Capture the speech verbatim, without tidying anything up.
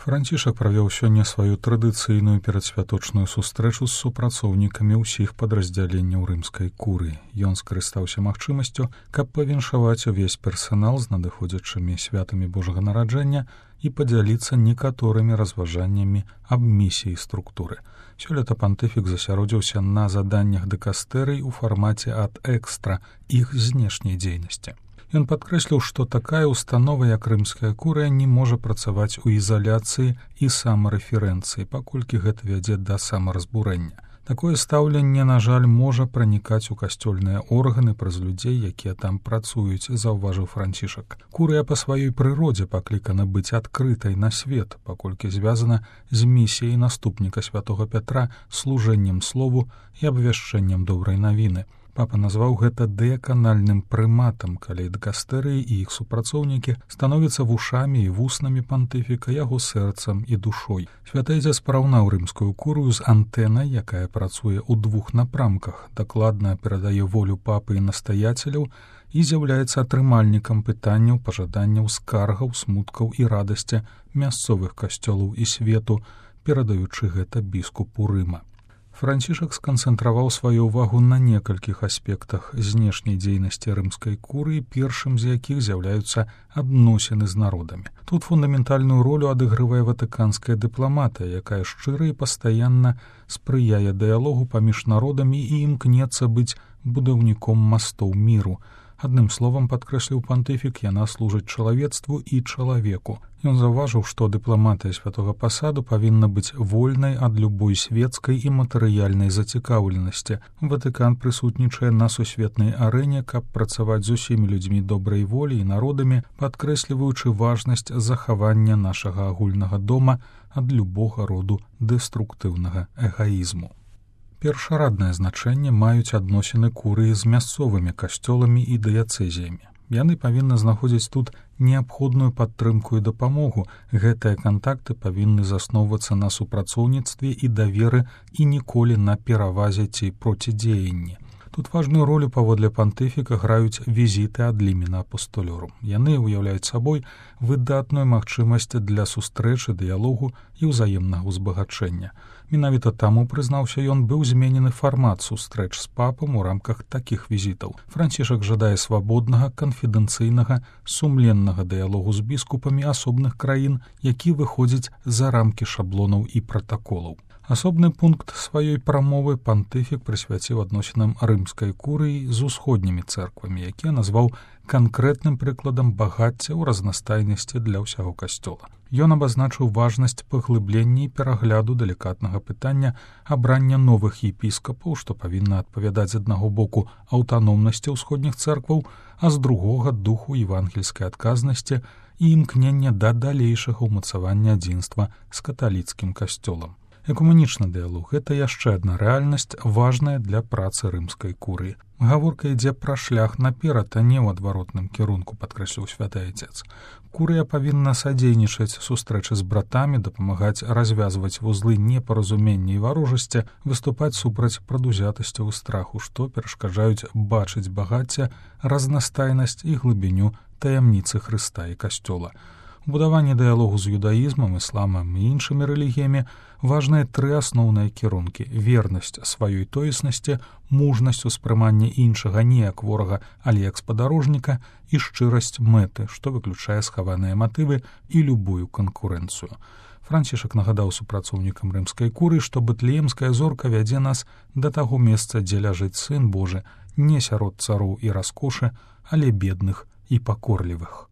Францішак правёў сёння сваю традыцыйную перадсвяточную сустрэчу з супрацоўнікамі ўсіх падраздзяленняў рымскай курыі. Ён скарыстаўся магчымасцю, каб павіншаваць увесь персанал з надыходзячымі святамі Божага нараджэння і падзяліцца некаторымі разважаннямі аб місіі структуры. Сёлета пантыфік засяродзіўся на заданнях дыкастэрый у фармаце ад экстра іх знешняй дзейнасці. Ён падкрэсліў, што такая установа, як рымская курыя, не можа працаваць у ізаляцыі і самарэферэнцыі, паколькі гэта вядзе да самаразбурэння. Такое стаўленне, на жаль, можа пранікаць у касцёльныя органы праз людзей, якія там працуюць, заўважыў Францішак. Курыя па сваёй прыродзе паклікана быць адкрытай на свет, паколькі звязана з місіяй наступніка святога Пятра, служэннем слову і абвяшчэннем добрай навіны. Папа назваў гэта дыяканальным прыматам, калі дыкастэрыі і іх супрацоўнікі становяцца вушамі і вуснамі пантыфіка, яго сэрцам і душой. Святыйдзя спараўнаў рымскую курыю з антэнай, якая працуе ў двух напрамках, дакладна перадае волю папы і настаяцеляў і з'яўляецца атрымальнікам пытанняў, пажаданняў, скаргаў, смуткаў і радасці мясцовых касцёлаў і свету, перадаючы гэта біскупу Рыма. Францішак сканцэнтраваў сваю ўвагу на некалькіх аспектах знешняй дзейнасці рымскай курыі, першым з якіх з'яўляюцца адносіны з народамі. Тут фундаментальную ролю адыгрывае ватыканская дыпламатыя, якая шчыра і пастаянна спрыяе дыялогу паміж народамі і імкнецца быць будаўніком мастоў міру. Адным словам, падкрэсліў пантыфік, яна служыць чалавецтву і чалавеку. Ён заўважыў, што дыпламатыя святога пасаду павінна быць вольнай ад любой светскай і матэрыяльнай зацікаўленасці. Ватыкан прысутнічае на сусветнай арэне, каб працаваць з усімі людзьмі добрай волі і народамі, падкрэсліваючы важнасць захавання нашага агульнага дома ад любога роду дэструктыўнага эгаізму. Першараднае значэнне маюць адносіны курыі з мясцовымі касцёламі і дыяцэзіямі. Яны павінны знаходзіць тут неабходную падтрымку і дапамогу. Гэтыя кантакты павінны засноўвацца на супрацоўніцтве і даверы і ніколі на перавазе ці процідзеянні. Тут важную ролю паводле пантыфіка граюць візіты ад лімена апостолёрум. Яны ўяўляюць сабой выдатную магчымасць для сустрэчы, дыялогу і ўзаемнага ўзбагачэння. Менавіта таму, прызнаўся ён, быў зменены фармат сустрэч з папам у рамках такіх візітаў. Францішак жадае свабоднага, канфідэнцыйнага, сумленнага дыялогу з біскупамі асобных краін, які выходзіць за рамкі шаблонаў і пратаколаў. Асобны пункт сваёй прамовы пантыфік прысвяціў адносінам рымскай курыі з усходнімі цэрквамі, якія назваў канкрэтным прыкладам багацця ў разнастайнасці для ўсяго касцёла. Ён абазначыў важнасць паглыблення і перагляду далікатнага пытання абрання новых епіскапаў, што павінна адпавядаць з аднаго боку аўтаномнасці ўсходніх цэркваў, а з другога духу евангельскай адказнасці і імкнення да далейшага ўмацавання адзінства з каталіцкім касцёлам. Экумэнічны дыялог – гэта яшчэ адна рэальнасць, важная для працы рымскай курыі. Гаворка ідзе пра шлях наперад, а не ў адваротным кірунку, падкрэсліў святы айцец. Курыя павінна садзейнічаць сустрэчы з братамі, дапамагаць развязваць вузлы непаразумення і варожасці, выступаць супраць прадузятасцяў і страху, што перашкаджаюць бачыць багацце, разнастайнасць і глыбіню таямніцы Хрыста і касцёла. У будаванні дыялогу з юдаізмам, ісламам і іншымі рэлігіямі важныя тры асноўныя кірункі: вернасць сваёй тоеснасці, мужнасць успрымання іншага не як ворага, але як спадарожніка і шчырасць мэты, што выключае схаваныя матывы і любую канкурэнцыю. Францішак нагадаў супрацоўнікам рымскай курыі, што бэтлеемская зорка вядзе нас да таго месца, дзе ляжыць Сын Божы, не сярод цароў і раскошы, але бедных і пакорлівых.